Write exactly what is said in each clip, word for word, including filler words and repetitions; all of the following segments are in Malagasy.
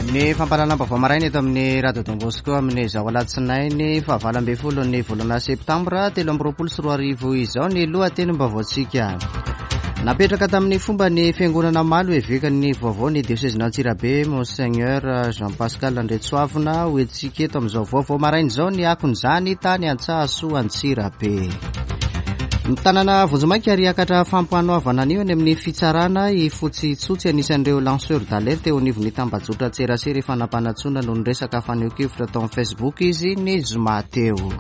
Ny fampahalalam-baovao maraina eto amin'ny Radio Don Bosco amin'izao alatsinainy fahavalo ambin'ny folo ny volana septambra telo amby roapolo sy roa arivo izao ny lohatenim-baovaontsika. Napetraka tamin'ny fomba ny fiangonana omaly ho evekan'ny vaovao ny diosezin'Antsirabe Monseigneur Jean Pascal Andriatsoavina ho entintsika eto amin'izao vaovao maraina izao ny akon'izany tany Antsahasoa Antsirabe. Mitanana vonjimaika ary hiakatra fampanoavana anio any amin'ny fitsarana i Fotsy Tsotsy, anisan'ireo lanceur d'alerte eo anivon'ny tambajotra tserasera efa nampanantsoina noho ny resaka fanehoan-kevitra tao amin'ny Facebook izy ny zoma teo.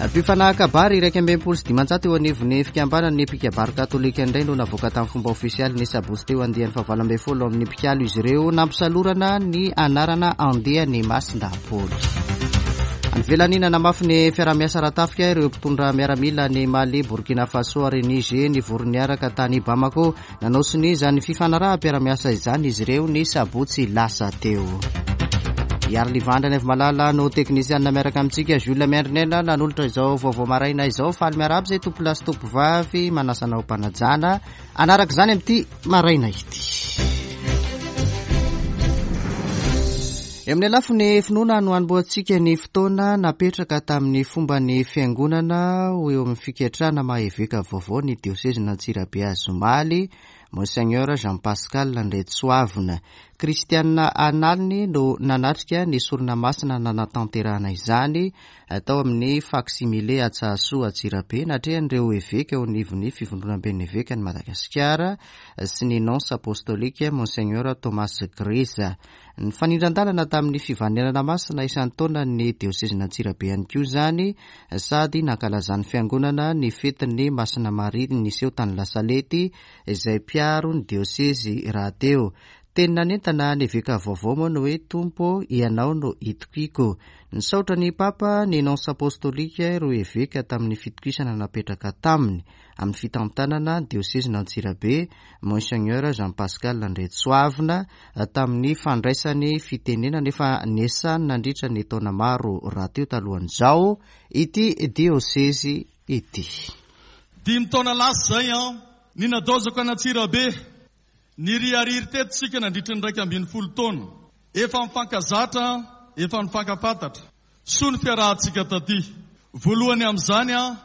Mpifanahaka kabary iraika amby enimpolo sy dimanjato eo anivon'ny fikambanan'ny mpikabary katolika indray no navoaka tamin'ny fomba ofisialy ny sabotsy teo andiany fahavalo ambin'ny folo amin'ny mpikalo izy ireo nampisalorana ny anarana andiany Masindahy Paoly. Nivelanina nanamafy ny fiarahamiasa ara-tafika ireo mpitondra miaramila ny Mali, Burkina Faso ary Niger nivory niaraka tany Bamako. Nanao sonia izany fifanaraham-piarahamiasa izany izy ireo ny sabotsy lasa teo. Iarolivandra ny Malala no teknisianina miaraka amintsika, Jules Miandrinena nanolotra izao vaovao maraina izao. Faly miarahaba izay tompolahy sy tompovavy manasa anao mpanajana anaraka izany amin'ity maraina ity. Eo amin'ny lafiny finoana no anombohantsika ny fotoana napetraka tamin'ny fomba ny fiangonana ho eo amin'ny fiketrana maha eveka vaovao ny diosezin'Antsirabe azy omaly, Monseigneur Jean Pascal Andriatsoavina. Kristianina analiny no nanatrika ny sorona masina nanatanterahana izany tao amin'ny facsimile Antsahasoa Antsirabe, natrehan'ireo eveka eo anivon'ny fivondronamben'ny evekan'i Madagasikara sy ny nonce apostolika Monseigneur Thomas Greza. Ny fanindran-dalana tamin'ny fivanenana masina isan-taona ny diosezin'Antsirabe ihany koa izany, sady nankalazan'ny fiangonana ny fetin'ny Masina Maria niseho tany Lasalety izay mpiaro ny diosezy rahateo. Teny nanentana ny eveka vaovao moa ny hoe Tompo ianao no itokiko. Nisaotra ny Papa ny nonce apostolika ireo eveka tamin'ny fitokisana napetraka taminy amin'ny fitantanana diosezin'Antsirabe Monseigneur Jean Pascal Andriatsoavina tamin'ny fandraisany fitenenana nefa nesany nandritra ny taona maro rahateo talohan'izao ity diosezy ity. Dimy taona lasa izay an ny nadaozako an'Antsirabe niriariry teto isika nandritra ny iraika ambin'ny folo taona. Efa mifankazatra, efa mifankafantatra. Soa ny fiarahantsika taty. Voalohany amin'izany an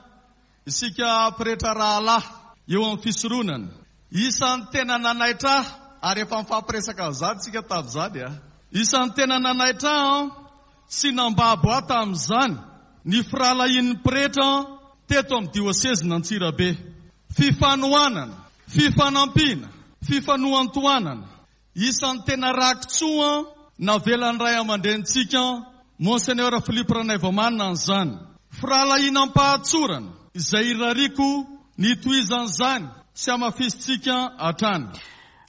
isika pretra rahalahy eo amin'ny fisoronana. Isan'ny tena nanaitra ahy, ary efa mifampiresaka amin'izany isika tamin'izany a. Isan'ny tena nanaitra ahy sy nambabo ahy tamin'izany ny firahalahian'ny pretra teto amin'ny diosezin'Antsirabe. Fifanohanana, fifanampiana, fifanohantohanana. Isan'ny tena rakitsoa navelan'ny ray aman-drenintsika Monseigneur Philippe Ranaivomanana an'izany. Firahalahiana am-pahatsorana izay irariako ny tohizan'izany sy hamafisintsika hatrany.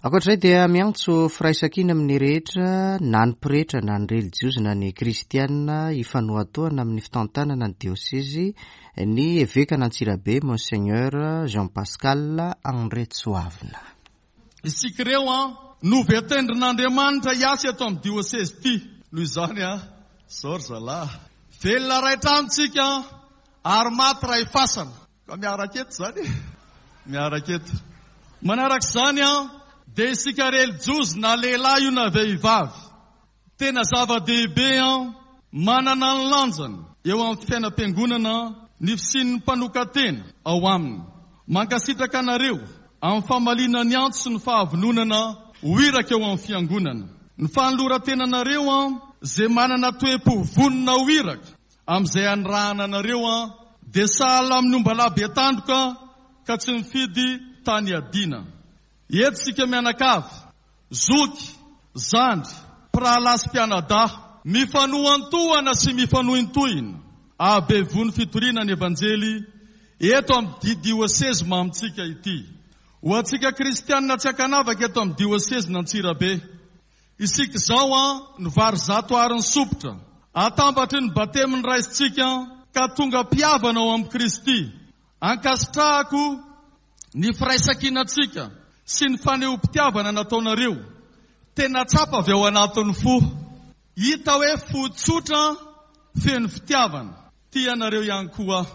Ankoatr'izay dia miantso firaisankina amin'ny rehetra, na ny pretra na ny relijiozy na ny kristianina hifanohatohana amin'ny fitantanana ny diosezy ny evekan'Antsirabe Monseigneur Jean Pascal Andriatsoavina. Isika ireo an no voatendrin'Andriamanitra hiasa eto amin'ny diosezy ity. Noho izany an, zao ry zalahy, velona ray trano tsika ary maty ray fasana. Ka miaraka eto izany e, miaraka eto. Manaraka izany an, dia isika relijiozy na lehilahy io na vehivavy, tena zava-dehibe an, manana ny lanjany eo amin'ny fiainam-piangonana ny fisian'ny mpanokan-tena ao aminy. Mankasitraka anareo amin'ny famaliana ny antso sy ny fahavononana ho iraka eo amin'ny fiangonana. Ny fanoloran-tenanareo an, izay manana toe-po vonona ho iraka amin'izay anirahana anareo an, dia sahala amin'ny ombalahy be tandroka ka tsy mifidy tany adina. Eto isika mianakavy, zoky, zandry, mpirahalahy sy mpianadahy, mifanohantohana sy mifanohintohina ahabe vono fitoriana ny evanjely eto amin'ny diosezy mamintsika ity. Ho antsika kristianina tsy ankanavaka eto amin'ny diosezin'Antsirabe, isika izao an ny vary zato ary ny sopitra atambatry ny batemy ny raisintsika ka tonga mpihavana ao amin'i Kristy. Ankasitrahako ny firaisankinantsika sy ny fanehoam-pitiavana nataonareo. Tena tsapa avy ao anatin'ny fo. Hita hoe fo tsotra feno fitiavana. Tia anareo ihany koa.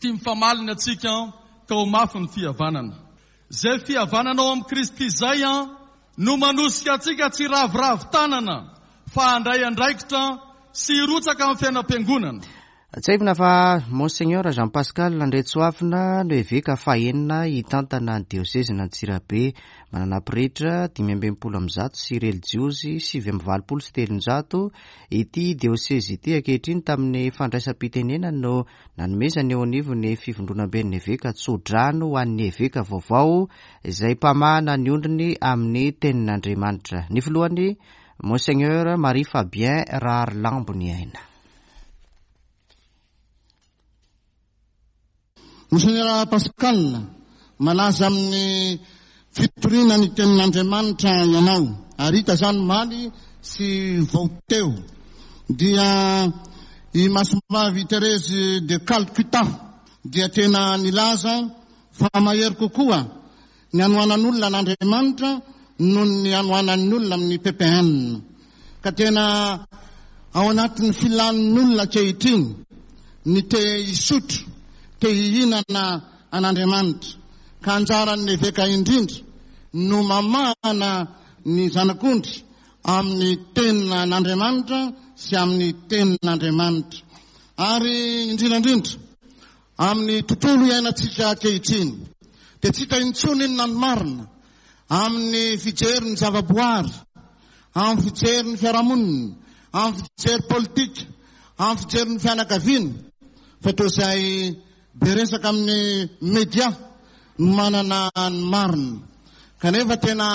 Tia mifamalina antsika ka ho mafy ny fihavanana. Izay fihavanana ao amin'i Kristy izay an no manosika antsika tsy hiraviravy tanana fa handray andraikitra sy hirotsaka amin'ny fiainam-piangonana. Tsiahivina fa Monseigneur Jean Pascal Andriantsoavina no eveka fahenina hitantana ny diosezin'Antsirabe. Manana pretra dimy amby enimpolo amby zato sy relijiozy sivy amby valopolo sy telonjato ity diosezy ity ankehitriny. Tamin'ny fandraisam-pitenenana no nanomezany eo anivon'ny fivondronamben'ny eveka tsodrano ho an'ny eveka vaovao izay mpamahana ny ondriny amin'ny tenin'Andriamanitra. Ny filohany, Monseigneur Marie Fabien Raharilamboniaina. Monseigneur Pascal, malaza amin'ny fitoriana ny tenin'Andriamanitra ianao, ary hita zany maly sy vao teo. Dia i Masimbavy Thérèse de Calcutta dia tena nilaza fa mahery kokoa ny anoanan'olona an'Andriamanitra noho ny anoanan'ny olona amin'ny P P N. Ka tena ao anatin'ny filan'ny olona ankehitriny ny te hisotro, te hihinana an'Andriamanitra, ka anjaran'ny eveka indrindra no mamahana ny zanak'ondry amin'ny tenin'Andriamanitra sy amin'ny tenin'Andriamanitra, ary indrindrandrindra amin'ny tontolo iainantsika ankehitriny dia tsy hita intsony inona ny marina amin'ny fijery ny zavaboary, amin'ny fijery ny fiarahamonina, amin'ny fijery politika, amin'ny fijery ny fianakaviana, fa toa izay be resaka amin'ny media no manana ny marina. Kanefa tena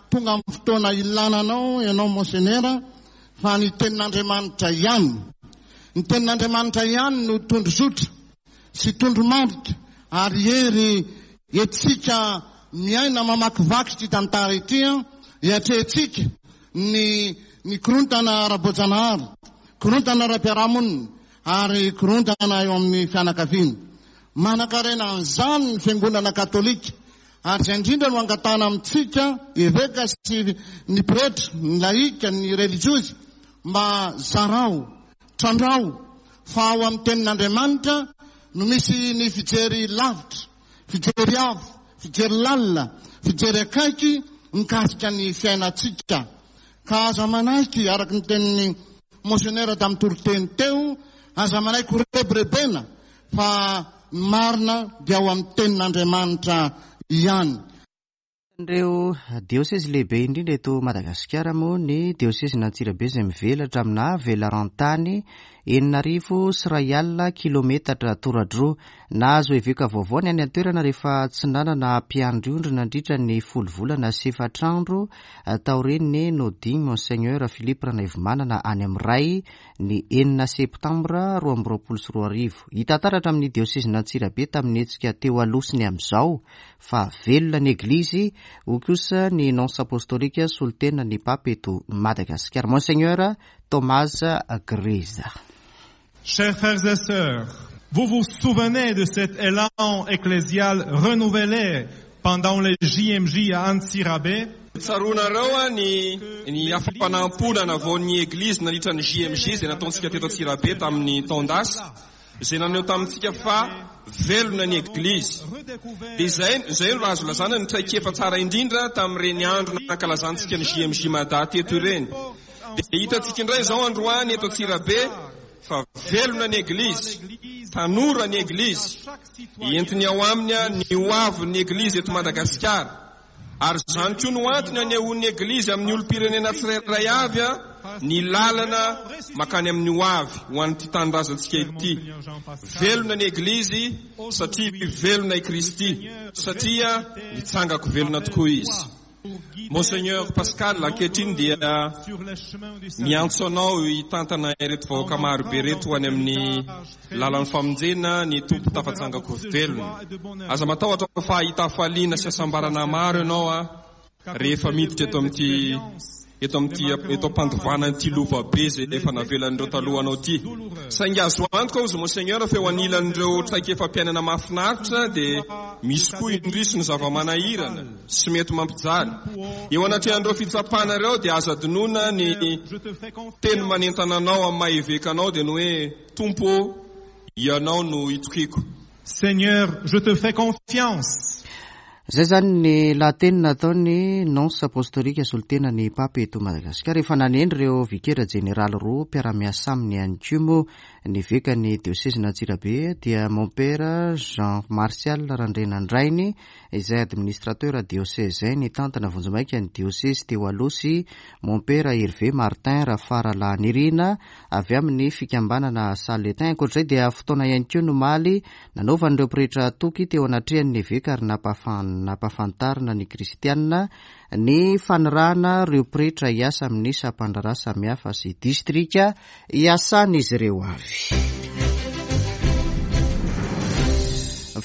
tonga amin'ny fotoana ilananao ianao, monseigneur, fa ny tenin'Andriamanitra ihany, ny tenin'Andriamanitra ihany no tondrozotra sy tondromarika ary hery etsika miaina mamakivaky ty tantara ity a hiatrehantsika ny ny korontana ara-boajanahary, korontana ara-piarahamonina ary korontana eo amin'ny fianakaviana. Manan-karena an'izany ny fiangonana katolika, ary izay indrindra no angatahana amintsika eveka sy ny pretra, ny laika, ny relijiozy, mba zarao, trandrao, fa ao amin'ny tenin'Andriamanitra no misy ny fijery lavitra, fijery avo, fijery lalina, fijery akaiky mikasika ny fiainantsika. Ka aza manaiky, araky ny tenin'ny monseigneur tamin'ny toriteny teo, aza manaiky ho rebirebena, fa ny marina dia ao amin'ny tenin'Andriamanitra ihany. Ireo diosezy lehibe indrindra eto Madagasikara moa ny diosezin'Antsirabe, izay mivelatra amina velaran-tany enina arivo sy ray alina kilometatra toradroa. Nahazo eveka vaovao ny any an-toerana rehefa tsy nanana mpiandry ondry nandritra ny folo volana sy efatra andro taorian'ny nodian'i Monseigneur Philippe Ranaivomanana any amin'ny Ray ny enina septambra roa amby roapolo sy roa arivo. Hita taratra amin'ny diosezin'Antsirabe tamin'ny hetsika teo aloha sy ny amin'izao fa velona ny eglizy, hoy kosa ny nonce apostolika solontena ny pape eto Madagasikara, Monseigneur Thomas Greza. Chers frères et sœurs, vous vous souvenez de cet élan ecclésial renouvelé pendant les J M J à Antsirabe? Tsaroanareo a ny ny afa-panampona navaon'ny eglizy nandritra ny J M J zay nataontsika teto Antsirabe tamin'ny taon-dasa, zay naneho tamintsika fa velona ny eglizy. Dia zay zay no azo lazana ny traikefa tsara indrindra tamin'ireny andro nankalazantsika ny J M J Mada teto ireny. Dia hitantsika indray zao androany eto Antsirabe fa velona ny eglizy, tanora ny eglizy, entiny ao aminy a ny hoavin'ny eglizy eto Madagasikara, ary zany koa no antony anehoan'ny eglizy amin'ny olom-pirenena tsirairay avy a ny lalana makany amin'ny hoavy ho an'ity tanindrazantsika ity. Velona ny eglizy satria velona i Kristy, satria nitsangan-ko velona tokoa izy. Monseigneur Pascal, ankehitriny dia miantso anao hitantana ireto vahoaka marobe reto ho any amin'ny lalan'ny famonjena ny Tompo tafatsangan-ko velona. Aza matahotra fa hahita hafaliana sy hasambarana maro ianao a rehefa miditra eto amin'ity eto amin'ity eto ampandovana ity lovabe zay efa navelan'ireo talohanao ty. Saingy azo antoka ozy, monseigneur, fa eo anilan'ireo traikefa-piainana mahafinaritra dia misy koa indrisy ny zava-manahirana sy mety mampijaly. Eo anatrehan'ireo fitsapana ireo dia aza adinoina ny teny manentana anao amin'ny maha eveka anao, dia ny hoe: "Tompo, ianao no itokiko." Seigneur, je te fais confiance. Zay zany ny lahateny nataony nonce apostolika solotena ny pape eto Madagasikara. Efa nanendry ireo vikera jeneraly roa mpiara-miasa aminy ihany koa moa ny eveka ny diosezin'Antsirabe, dia mompera Jean Martial Randrenandrainy, izay administrateur diocésain nitantana vonjimaika ny diosezy teo aloha, sy mompera Hervé Martin Rafaralahanirina avy amin'ny fikambanana Saletin. Ankoatr'izay dia fotoana ihany koa nomaly nanaovan'ireo pretra toky teo anatrehan'ny eveka ary nampahafantarina ny kristianina ny fanirahana ireo pretra hiasa amin'ny sampandraharaha samihafa sy distrika hiasan'izy ireo avy.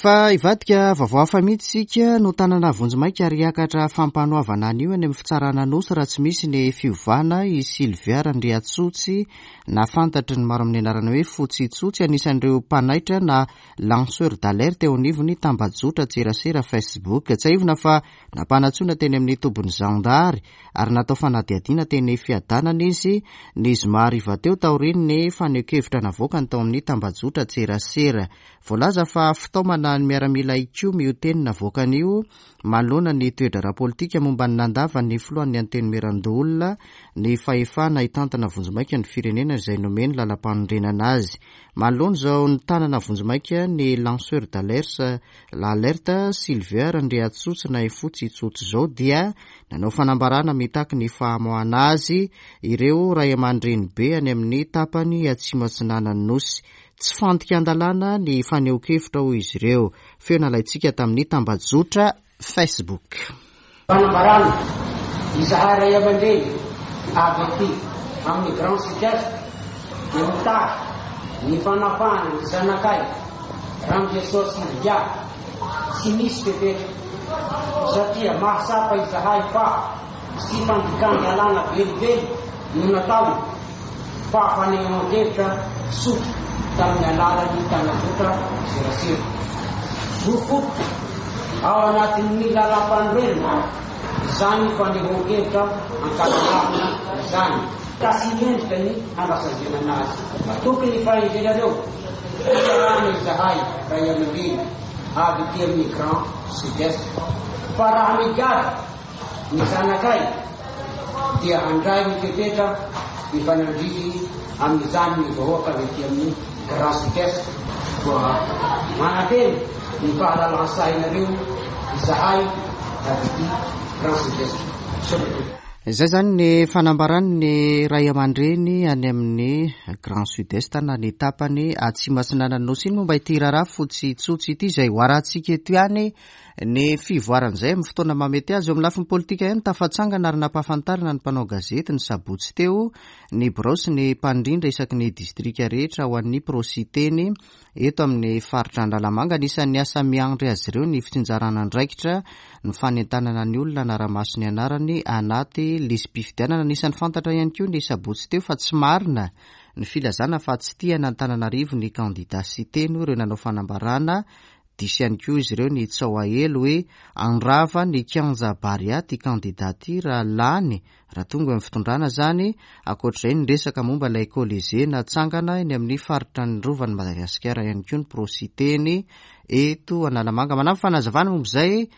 Fa hivadika vaovao hafa mihitsy isika. No tanana vonjimaika ary hiakatra fampanoavana anio any amin'ny fitsarana Anosy raha tsy misy ny fiovana i Sylvia Randriatsotsy, na fantatry ny maro amin'ny anarana hoe Fotsitsotsy, anisan'ireo mpanaitra na lanceur d'alerte eo anivony tambajotra tserasera Facebook. Tsiahivina fa nampanantsoina teny amin'ny tobin'ny zandary ary natao fanadihadiana teny Fiadanana izy ny zoma hariva teo, taorian'ny fanehoan-kevitra navoakany tao amin'ny tambajotra tserasera. Voalaza fa fitaomana ny miaramila ikomy io teny navoakany io, manoloana ny toe-draharaha politika momba ny nandavan'ny filohan'ny Antenimierandoholona ny fahefana hitantana vonjimaika ny firenena izay nomeny lalam-panorenana azy. Manoloana izao ny tanana vonjimaika ny lanceur d'alerte l'alerte Sylvia Randriatsotsy na Fotsitsotsy izao, dia nanao fanambarana mitaky ny famoahana azy ireo ray aman-dreny be any amin'ny tapany atsimo atsinanan'ny nosy. Tsy fandikan-dalàna ny fanehoan-kevitra, hoy izy ireo. Feo nalaintsika tamin'ny tambajotra Facebook. Fanambarana: izahay ray aman-dreny avy aty amin'ny Grand Sud-Est dia mitaky ny fanafahana ny zanakay Randriasoa Sylvia tsy misy fepetra, satria mahatsapa izahay fa tsy fandikan-dalàna velively no natao, fa fanehoan-kevitra tsotra tamin'ny alalan'ny tambajotra serasera. Zo fototra ao anatin'ny lalam-panorenana zany fanehoan-kevitra ankalalahana izany, ka tsy mendrika ny hanasaziana anazy. Tokony fahendrenareo fiarahana izahay ray aman-dreny avy ty amin'ny Grand Sud-Est, fa raha migadra ny zanakay dia handray ny fepetra mifanandrify amin'izany ny vahoaka avy aty amin'ny Grand Sud-Est. Koa manantena ny fahalalan-tsainareo izahay avy ty Grand Sud-Est. Zay zany ny fanambarany ny ray aman-dreny any amin'ny Grand Sud-Est na ny tapany atsimo atsinanan'ny nosy iny momba ity raharaha Fotsitsotsy ity, izay hoarahantsika eto ihany ny fivoaran'izay amin'ny fotoana mamety azy. Eo amin'ny lafiny politika ihany, tafatsangana ary nampahafantarina ny mpanao gazety ny sabotsy teo ny birao sy ny mpandrindra isaky ny distrika rehetra ho an'ny Pro-Siteny eto amin'ny faritra Analamanga. Anisan'ny asa miandry azy ireo ny fitsinjarana andraikitra, ny fanentanana ny olona hanara-maso ny anarany anaty lisi-pifidianana. Anisan'ny fantatra ihany koa ny sabotsy teo fa tsy marina ny filazana fa tsy tia an'Antananarivo ny kandida Siteny, ireo nanao fanambarana. Diso ihany koa izy ireo ny tsaho hoe handrava ny kianja Barea ty kandida ty raha lany, raha tonga amin'ny fitondrana zany. Ankoatr'izay, ny resaka momba ilay Colisée natsangana eny amin'ny faritra ny rovan'ny Madagasikara ihany koa ny Pro-Siteny eto Analamanga. Manampy fanazavana momba izay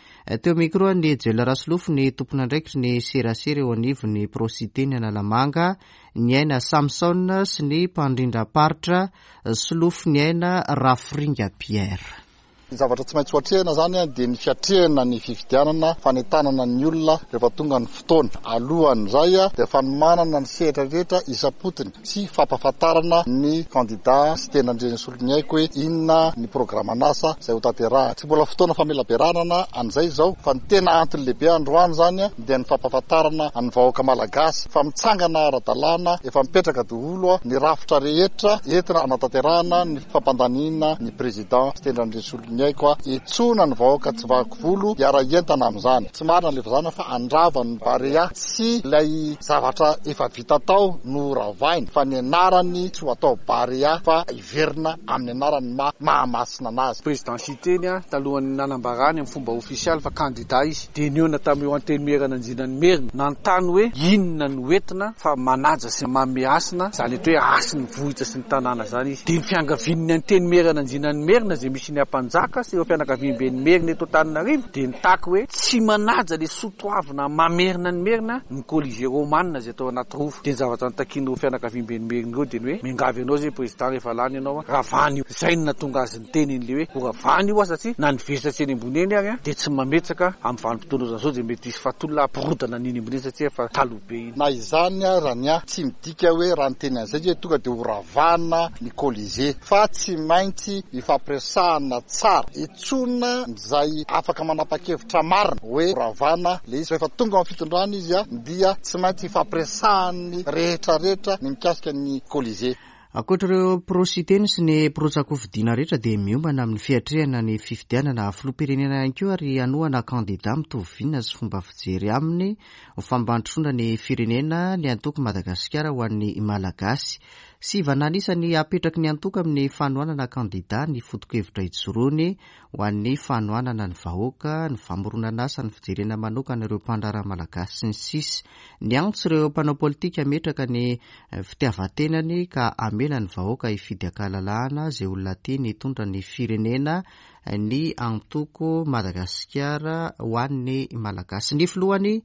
teo micro ny Jela Rasolofo ny tompon'andraikitry ny serasera eo anivo ny Pro-Siteny Analamanga, ny aina Samson, sy ny mpandrindram-paritra Solofo ny aina Raforinga Pierre. Ny zavatra tsy maintsy hoatrehina zany a dia ny fiatrehana ny fifidianana, fanentanana ny olona rehefa tonga ny fotoana. Alohan'izay a dia fanomanana ny sehatra rehetra isam-potony sy fampahafantarana ny kandida sy tena Andrianasoloniaiko hoe inona ny programan'asa izay ho tanterahana. Tsy mbola fotoana famelabelarana an'izay izao, fa ny tena antony lehibe androany zany a dia ny fampahafantarana ny vahoaka malagasy fa mitsangana ara-dalàna, efa mipetraka daholo a ny rafitra rehetra entina anatanterahana ny fampandaniana ny président sy tena Andrianasoloniaiko a etsona ny vahoaka tsy vaky volo hiara-hientana amin'izany. Tsy marina le filazana fa handrava ny Barea. Tsy ilay zavatra efa vita tao no ravainy, fa ny anarany tsy ho atao Barea fa hiverina amin'ny anarany ma Mahamasina anazy. Président Siteny a talohan'ny nanambarany amin'ny fomba ofisialy fa kandida izy, dia nihaona tamin'io antenimieran'Andriana Merina, nanontany hoe inona no entina fa manaja sy manome hasina zany eto hoe hasin'ny vohitra sy ny tanàna zany izy. Dia ny fiangavian'ny antenimieran'Andriana Merina izay misy ny ampanjaka Mpanjaka sy ireo fianakaviamben'ny Merina eto Antananarivo dia nitaky hoe tsy manaja le soatoavina mamerina ny Merina ny Colisée romane izay atao anaty rova. Dia ny zavatra nitakian'ireo fianakaviamben'ny Merina ireo dia ny hoe miangavy anao izay président rehefa lany ianao ravana io. Izay no nahatonga azy niteny an'ilay hoe ho ravana io satria na ny vesatra eny ambony eny ary dia tsy mametraka amin'ny vanim-potoana izao dia mety hisy fahatolona hampirodana an'iny ambony eny satria efa taloha be iny. Na izany raha ny ahy tsy midika hoe raha niteny an'izay hoe tonga dia ho ravana ny Colisée fa tsy maintsy ifampiresahana tsara itsona izay afaka manapa-kevitra marina hoe ravana le izy. Rehefa tonga amin'ny fitondrana izy dia tsy maintsy ifampiresahan'ny rehetrarehetra ny mikasika ny Colisée. Ankoatra ireo prositeny sy ny mpirotsakofidina rehetra dia miombana amin'ny fiatrehana ny fifidianana filoham-pirenena ihany koa ary hanohana kandida mitovy vina sy fomba fijery aminy ho fampandrosoana ny firenena ny antoko Madagasikara ho an'ny Malagasy. Sivana anisany apetraky ny antoko amin'ny fanohanana kandida ny foto-kevitra ijoroany ho an'ny fanohanana ny vahoaka, ny famoronana asa, ny fijerena manokana ireo mpandraharaha malagasy sy ny sisa. Niantso ireo mpanao politika ametraka ny fitiavan-tenany ka amela ny vahoaka hifidy an-kalalahana izay olona tiany hitondra ny firenena ny antoko Madagasikara ho an'ny Malagasy. Ny filohany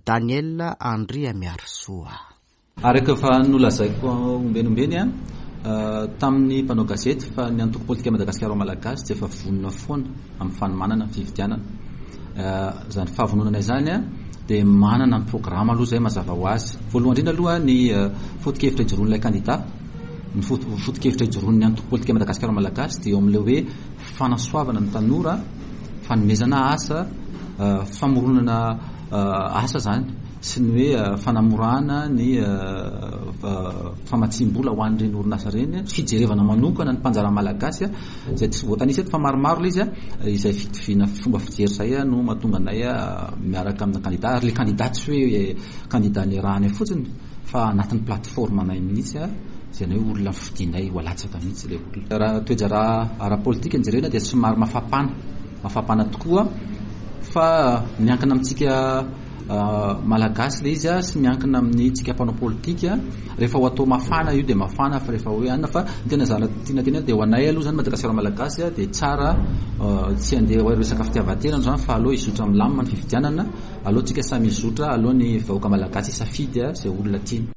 Daniel Andriamiarisoa. Araka fa nolazaiko ombenombeny a tamin'ny mpanao gazety fa ny antoko politika Madagasikara Malagasy dia efa vonona foana amin'ny fanomanana ny fifidianana. Izany fahavononana izany a dia manana ny programa aloha izay mazava ho azy. Voalohany indrindra aloha ny foto-kevitra ijoroan'ilay kandida, ny foto-kevitra ijoroan'ny antoko politika Madagasikara Malagasy dia eo amin'ilay hoe fanasoavana ny tanora, fanomezana asa, famoronana asa zany sy ny hoe fanamorana ny famatsiam-bola ho an'ireny orinasa ireny, fijerevana manokana ny mpanjara malagasy izay tsy voatanisa eto fa maromaro ilay izy, izay fitoviana fomba fijery izay no mahatonga anay miaraka amina kandida. Ary ilay kandida tsy hoe kandida niarahanay fotsiny fa anatin'ny plateforme anay mihitsy izay ny hoe olona fidinay ho alatsaka mihitsy ilay olona. Raha toe-draharaha ara-politika no jerena dia somary mafampana, mafampana tokoa fa miankina amintsika malagasy ilay izy sy miankina amin'ny tsika mpanao politika. Rehefa ho atao mafana io dia mafana, fa rehefa hoe anona fa ny tena zana tiana tena dia ho anay aloha zany Madagasikara Malagasy dia tsara tsy handeha ho resaka fitiavan-tena zany fa aloha hizotra milamina ny fifidianana, aloha tsika samy hizotra, aloha ny vahoaka malagasy hisafidy izay olona tiany.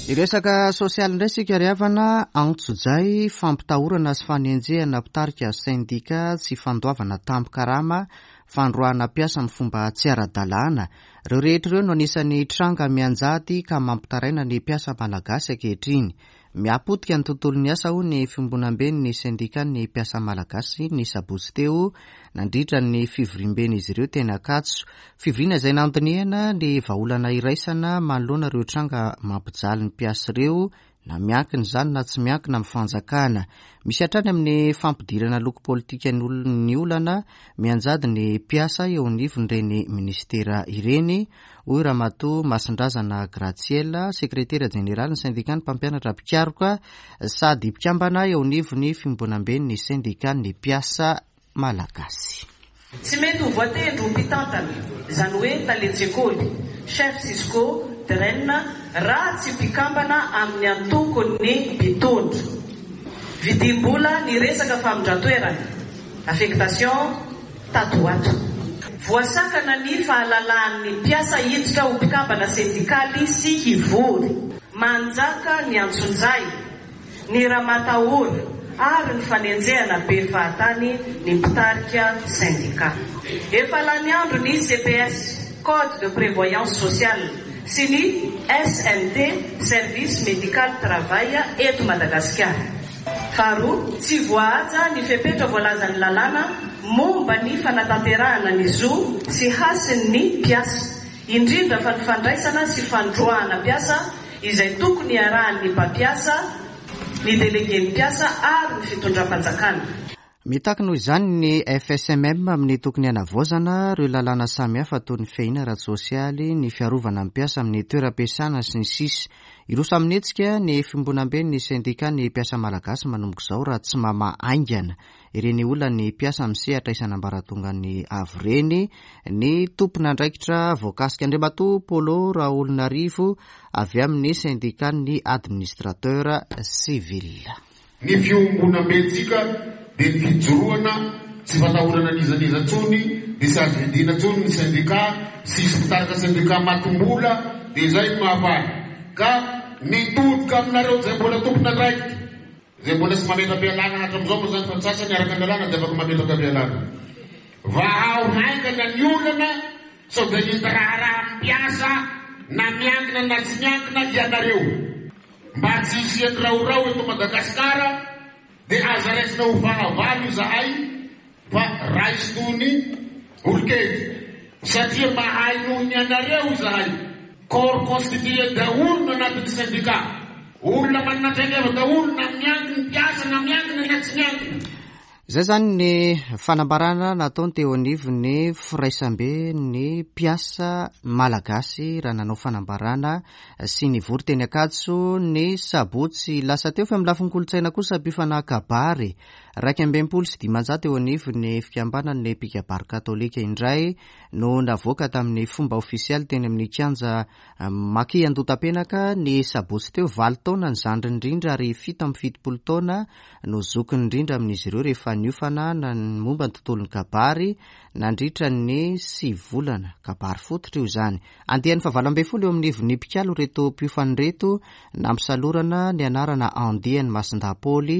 Iresaka sosialy indray isika ry havana. Antsojay, fampitahorana sy fanenjehana mpitarika sendika, tsy fandoavana tambin-karama, fandroahana mpiasa amin'ny fomba tsy ara-dalàna. Ireo rehetra ireo no anisan'ny tranga mianjady ka mampitaraina ny mpiasa malagasy ankehitriny. Miapotika ny tontolon'ny asa hoy ny fiombonamben'ny sendikan'ny mpiasa malagasy ny sabotsy teo nandritra ny fivoriamben'izy ireo teny Ankatso. Fivoriana izay nandinihana ny vahaolana iraisana manoloana ireo tranga mampijaly ny mpiasa ireo, na miankina izany na tsy miankina amin'ny fanjakana. Misy hatrany amin'ny fampidirana loko politika ny olana mianjady ny mpiasa eo anivon'ireny ministera ireny, hoy Ramatoa Masindrazana Graziella, sekretera jeneraly ny sendikan'ny mpampianatra mpikaroka sady mpikambana eo anivon'ny fiombonamben'ny sendikan'ny mpiasa malagasy. Tsy mety ho voatendry ho mpitantana, izany hoe talen-tsekoly, chef Cisco, D R E N, raha tsy mpikambana amin'ny antokon'ny mpitondra. Vidim-bola ny resaka famindran-toerana, affectation tato ho ato. Voasakana ny fahalalahan'ny mpiasa hiditra ho mpikambana sendikaly sy hivory. Manjaka ny antsonjay, ny ramatahora ary ny fanenjehana be fahatany ny mpitarika sendika. Efa lany andro ny C P S, Code de prévoyance sociale, sy ny S M T, Service médical travail, eto Madagasikara. Faharoa, tsy voahaja ny fepetra voalazan'ny lalàna momba ny fanatanterahana ny zo sy hasin'ny mpiasa, indrindra fa ny fandraisana sy fandroahana mpiasa izay tokony iarahan'ny mpampiasa, ny délégué mpiasa ary ny fitondram-panjakana. Mitaky noho izany ny F S M M amin'ny tokony hanavaozana ireo lalàna samihafa toy ny fiahiana ara-tsosialy, ny fiarovana ny mpiasa amin'ny toeram-piasana sy ny sisa. Hiroso amin'ny hetsika ny fiombonamben'ny sendikan'ny mpiasa malagasy manomboka izao raha tsy mamaha haingana ireny olan'ny mpiasa misehatra isan'ambaratongany avy ireny ny tompon'andraikitra voakasika. Andriamatoa Polo Raolonarivo avy amin'ny sendikan'ny administrateur civil. Ny fiombonambentsika dia ny fijoroana tsy fatahorana n'iza n'iza intsony, dia tsy azo vidiana intsony ny sendika, tsisy mpitarika sendika matim-bola, dia izay no mahafaly. Ka mitodika aminareo izay mbola tompon'andraikitra, izay mbola tsy mametra-pialana hatramin'izao moa izany fa ny sasany araka ny lalàna dia afaka mametraka fialana. Vahao haingana ny olana sao dia hita raharaha amin'ny mpiasa na miankina na tsy miankina ianareo. Mba tsy hisian'ny raorao eto Madagasikara dia aza raisina ho fahavalo izahay fa raiso toy ny olon-kendry satria mahay noho ny anareo izahay. Corps constitué daholo no anatin'ny syndicat. Olona manana traikefa daholo na miankina mpiasa na miankina na tsy miankina. Izay izany ny fanambarana nataony teo anivon'ny firaisambe ny mpiasa malagasy raha nanao fanambarana sy nivory teny Ankatso ny sabotsy lasa teo. Fa amin'ny lafiny kolontsaina kosa mpiofana kabary iraika amby enimpolo sy dimanjato eo anivon'ny fikambanan'ny mpikabary katolika indray no navoaka tamin'ny fomba ofisialy teny amin'ny kianja Maki Andotapenaka ny sabotsy teo. Valo taona ny zandriny indrindra ary fito amby fitopolo taona no zokiny indrindra amin'izy ireo rehefa niofana na ny momba ny tontolon'ny kabary nandritra ny sivy volana. Kabary fototra io izany. Andiany fahavalo ambin'ny folo eo amin'ny ivon'ny mpikalo ireto mpiofana ireto, nampisalorana ny anarana andiany Masindahy Paoly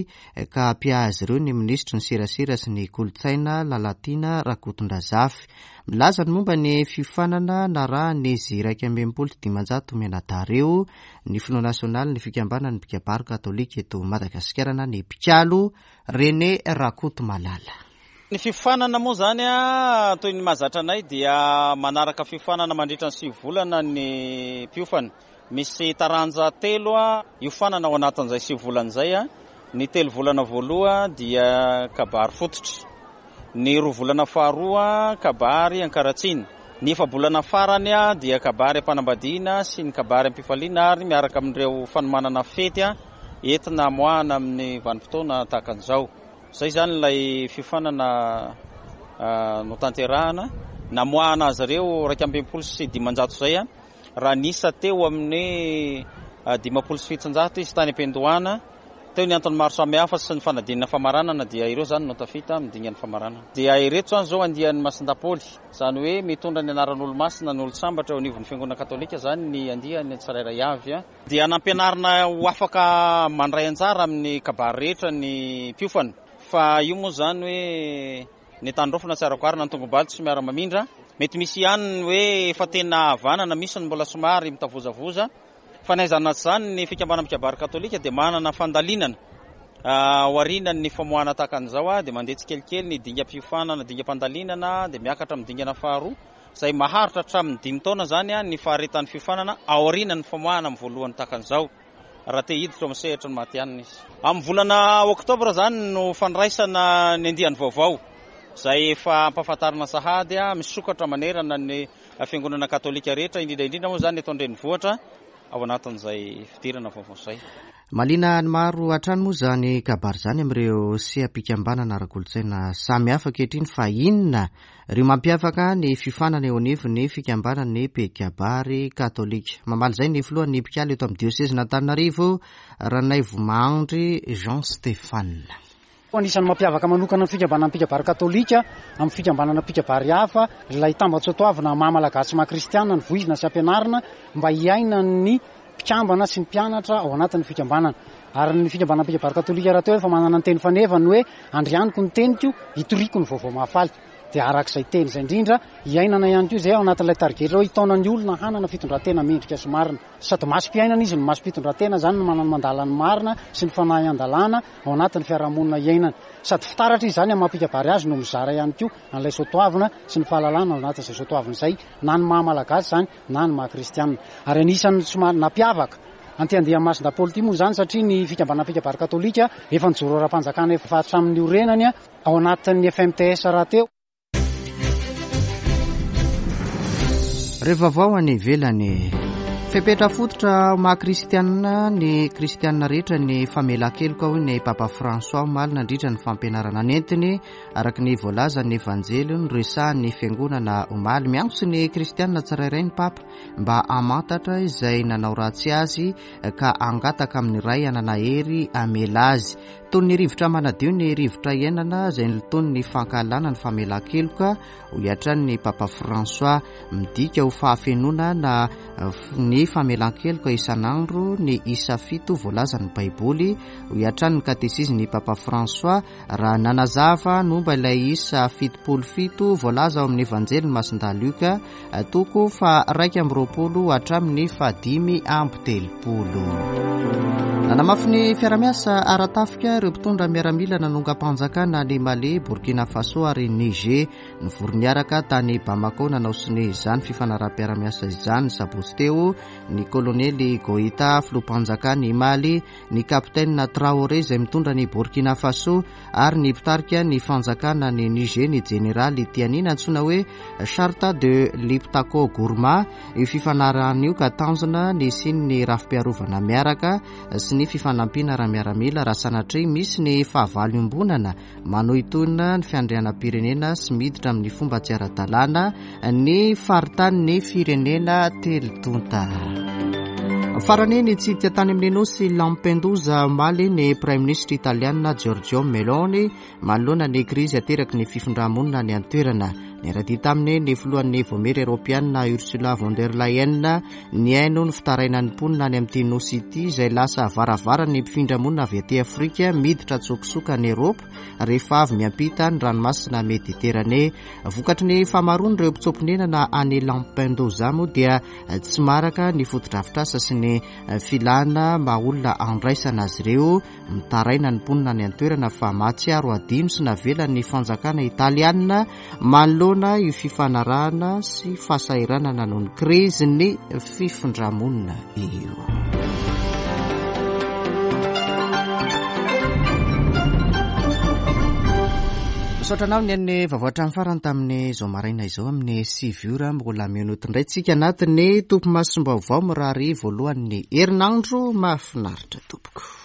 ka mpiahy azy ireo ny minisitry ny serasera sy ny kolontsaina Lalatiana Rakotondrazafy. Milaza ny momba ny fiofanana narahan'izy iraika amby enimpolo sy dimanjato mianadahy ireo ny filoha nasionaly ny fikambanan'ny mpikabary katolika eto Madagasikara na ny mpikalo René Rakotomalala. Ny fiofanana moa izany a, toy ny mahazatra anay dia manaraka fiofanana mandritra ny sivy volana ny mpiofana. Misy taranja telo a, iofanana ao anatin'izay sivy volana izay a. Ny telo volana voaloha dia kabary fototra. Ny roa volana faharoa kabary ankaratsiana. Ny efa-bolana farany a, dia kabary am-panambadiana sy ny kabary am-pifaliana ary miaraka amin'ireo fanomanana fety a, entina amoahana amin'ny vanim-potoana tahaka an'izao. Izay izany ilay fiofanana notanterahana. Namoahana azy ireo iraika amby enimpolo sy dimanjato izay a, raha nisa teo amin'ny dimampolo sy fitonjato izy tany am-piandohana. Teo ny antony maro samihafa sy ny fanadinana famaranana dia ireo izany no tafita amin'ny dingan'ny famaranana. Dia ireto izany izao andian'ny Masindahy Paoly, izany hoe mitondra ny anaran'olo-masina ny olon-tsambatra eo anivon'ny fiangonana katolika izany ny andiany tsirairay avy a. Dia nampianarina ho afaka mandray anjara amin'ny kabary rehetra ny mpiofana. Fa io moa izany hoe ny tandrofona tsy arako arina ny tongobaly tsy miara-mamindra. Mety misy ihany ny hoe efa tena havanana, misy ny mbola somary mitavozavoza. Fa na izany na tsy izany ny fikambanana mpikabary katolika dia manana fandalinana aoriana ny famoahana tahaka an'izao a, dia mandeha tsikelikely ny dingam-piofanana, dingam-pandalinana, dia miakatra amin'ny dingana faharoa izay maharitra hatramin'ny dimy taona izany a, ny faharetan'ny fiofanana aoriana ny famoahana amin'ny voalohany tahaka an'izao raha te hiditra amin'ny sehatra ny matihanina izy. Amin'ny volana oktobra izany no fandraisana ny andiany vaovao izay efa ampahafantarina sahady a, misokatra manerana ny fiangonana katolika rehetra, indrindra indrindra moa izany eto an-drenivohitra ao anatin'izay fidirana vaovao izay. Mahaliana ny maro hatrany moa izany kabary izany amin'ireo seha-pikambanana ara-kolontsaina samihafa ankehitriny. Fa inona ireo mampiavaka ny fiofanana eo anivon'ny fikambanan'ny mpikabary katolika? Mamaly izay ny filohan'ny mpikalo eto amin'ny diosezin'Antananarivo, Ranaivo Mahandry Jean Stéphane. Anisan'ny mampiavaka manokana ny fikambanana mpikabary katolika amin'ny fikambanana mpikabary hafa ilay tambatsotoavina maha malagasy maha kristiana ny voizina sy ampianarina mba hiainan'ny mpikambana sy ny mpianatra ao anatin'ny fikambanana. Ary ny fikambanana mpikabary katolika rahateo efa manana ny teny fanevany hoe andrianiko ny teniko, hitoriko ny vaovao mahafaly. Dia arak'izay teny izay indrindra hiainana ihany koa izay ao anatin'ilay tarigetra hoe hitaona ny olona hanana fitondran-tena mendrika sy marina. Sady masom-piainana izy no masom-pitondran-tena izany no manana mandala ny marina sy ny fanahy an-dalàna ao anatin'ny fiarahamonina iainana. Sady fitaratra izy izany amin'ny maha mpikabary azy no mizara ihany koa an'ilay soatoavina sy ny fahalalana ao anatin'izay soatoavina izay, na ny maha malagasy izany na ny maha kristianina. Ary anisan'ny somary nampiavaka anty andian'ny Masindahy Paoly ity moa izany satria ny fikambanana mpikabary katolika efa nijoro ara-panjakana efa hatramin'ny orenany ao anatin'ny F M T S rahateo. Rehefa vaovao any ivelany, Fepetra fototra maha kristianina ny kristianina rehetra ny famelan-keloka, hoy ny Papa François omaly nandritra ny fampianarana nentiny, araka ny voalazan'ny Evanjely noresahan'ny fiangonana omaly. Miantso ny kristianina tsirairay ny Papa mba hamantatra izay nanao ratsy azy ka hangataka amin'ny Ray hanana hery hamela azy. Toy ny rivotra manadio ny rivotra iainana izay nilotoan'ny fankahalana ny famelan-keloka, hoy hatrany ny Papa François. Midika ho fahafenoana na ny famelan-keloka isan'andro ny isa fito voalazan'ny Baiboly, hoy hatrany ny katesizin'ny Papa François raha nanazava momba ilay isa fitopolo fito voalaza ao amin'ny Evanjelin'i Masindahy Lioka toko faha-iraika amby roapolo hatramin'ny fahadimy amby telopolo. Nanamafy ny fiarahamiasa ara-tafika ireo mpitondra miaramila nanongam-panjakana any Mali, Burkina Faso ary Niger. Nivory niaraka tany Bamako nanao sonia izany fifanaraham-piarahamiasa izany sabotsy teo ny kolonely Goïta, filoham-panjakana i Mali, ny kapitaina Traoré izay mitondra ny Burkina Faso ary ny mpitarika ny fanjakana ny Niger, ny jeneraly Tiani, nantsoina hoe Charte de Liptako Gourma. Io fifanarahana io ka tanjona ny hisian'ny rafi-piarovana miaraka sy ny fifanampiana ara-miaramila raha sanatria misy ny fahavalo iombonana manohitohina ny fiandrianam-pirenena sy miditra amin'ny fomba tsy ara-dalàna ny faritanin'ny firenena telo tonta. Farany, nitsidika tany amin'ny nosy Lampedusa omaly ny praiminisitra italiana Giorgio Meloni manoloana ny krizy ateraky ny fifindramonina any an-toerana. Niara-dia taminy ny filohan'ny Vaomiera Eoropeana Ursula von der Leyen. Nihaino ny fitarainan'ny mponina any amin'ity nosy ity izay lasa varavaran'ny mpifindramonina avy aty Afrika miditra an-tsokosoko any Eoropa rehefa avy miampita ny ranomasina Mediterane. Vokatry ny famaroan'ireo mpitsoa-ponenana any Lampedusa moa dia tsy maraka ny fotodrafitrasa sy ny filana mba olona andraisana azy ireo. Mitaraina ny mponina any an-toerana fa mahatsiaro adino sy navelan'ny fanjakana italiana manoloana io fifanarahana sy fahasahiranana noho ny krizin'ny fifindramonina io. Misaotra anao ny an'ny vaovao hatramin'ny farany tamin'izao maraina izao amin'ny sivy ora mbola minuty indray tsika anatin'ny topimasom-baovao mirary voalohan'ny herinandro mahafinaritra tompoko.